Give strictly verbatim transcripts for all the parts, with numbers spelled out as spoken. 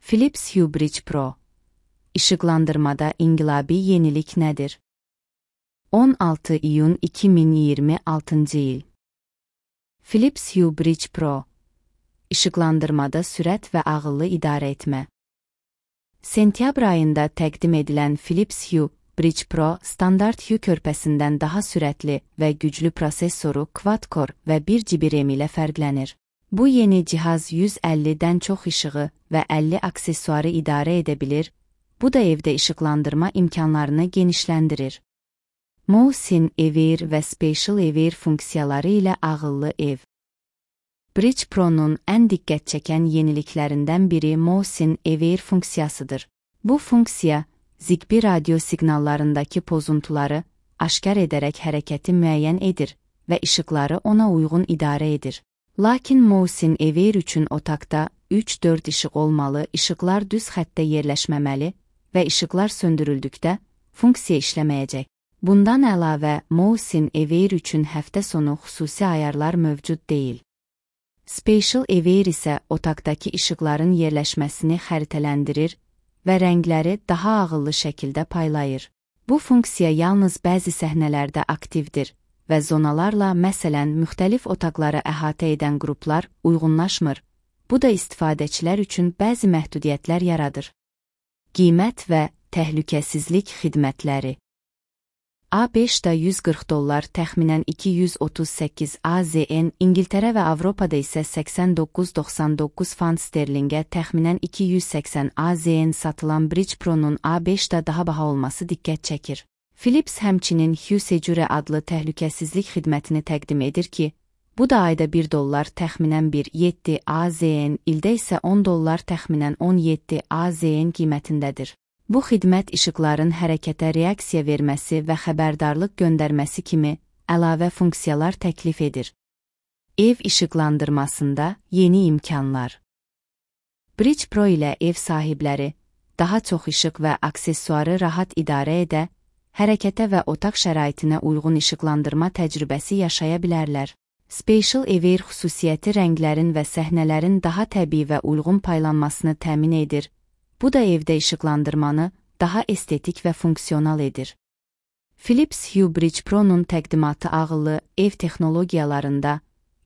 Philips Hue Bridge Pro. İşıqlandırmada inqilabi yenilik nədir? on altı iyun iki min iyirmi altıncı il. Philips Hue Bridge Pro. İşıqlandırmada sürət və ağıllı idarə etmə. Sentyabr ayında təqdim edilən Philips Hue Bridge Pro standart Hue körpəsindən daha sürətli və güclü prosesoru quad-core və bir G B RAM ilə fərqlənir. Bu yeni cihaz yüz əllidən çox işığı və əlli aksesuarı idarə edə bilir, bu da evdə işıqlandırma imkanlarını genişləndirir. Motion Aware və Spatial Aware funksiyaları ilə ağıllı ev. Bridge Pro'nun ən diqqət çəkən yeniliklərindən biri Motion Aware funksiyasıdır. Bu funksiya, Zigbee radio siqnallarındakı pozuntuları aşkar edərək hərəkəti müəyyən edir və işıqları ona uyğun idarə edir. Lakin Motion Aware üçün otaqda üç dörd işıq olmalı, işıqlar düz xəttdə yerləşməməli və işıqlar söndürüldükdə funksiya işləməyəcək. Bundan əlavə, Motion Aware üçün həftə sonu xüsusi ayarlar mövcud deyil. Spatial Aware isə otaqdakı işıqların yerləşməsini xəritələndirir və rəngləri daha ağıllı şəkildə paylayır. Bu funksiya yalnız bəzi səhnələrdə aktivdir və zonalarla, məsələn, müxtəlif otaqları əhatə edən qruplar uyğunlaşmır. Bu da istifadəçilər üçün bəzi məhdudiyyətlər yaradır. Qiymət və təhlükəsizlik xidmətləri. A beşdə yüz qırx dollar, təxminən iki yüz otuz səkkiz AZN, İngiltərə və Avropada isə səksən doqquz doxsan doqquz fant sterlingə, təxminən iki yüz səksən AZN satılan Bridge Pro'nun A beşdə daha baha olması diqqət çəkir. Philips həmçinin Hue Secure adlı təhlükəsizlik xidmətini təqdim edir ki, bu da ayda bir dollar, təxminən bir nöqtə yeddi AZN, ildə isə on dollar, təxminən on yeddi AZN qiymətindədir. Bu xidmət işıqların hərəkətə reaksiya verməsi və xəbərdarlıq göndərməsi kimi əlavə funksiyalar təklif edir. Ev işıqlandırmasında yeni imkanlar. Bridge Pro ilə ev sahibləri daha çox işıq və aksesuarı rahat idarə edə, hərəkətə və otaq şəraitinə uyğun işıqlandırma təcrübəsi yaşaya bilərlər. Spatial Aware xüsusiyyəti rənglərin və səhnələrin daha təbii və uyğun paylanmasını təmin edir. Bu da evdə işıqlandırmanı daha estetik və funksional edir. Philips Hue Bridge Pro'nun təqdimatı ağıllı ev texnologiyalarında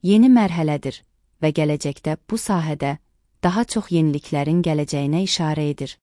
yeni mərhələdir və gələcəkdə bu sahədə daha çox yeniliklərin gələcəyinə işarə edir.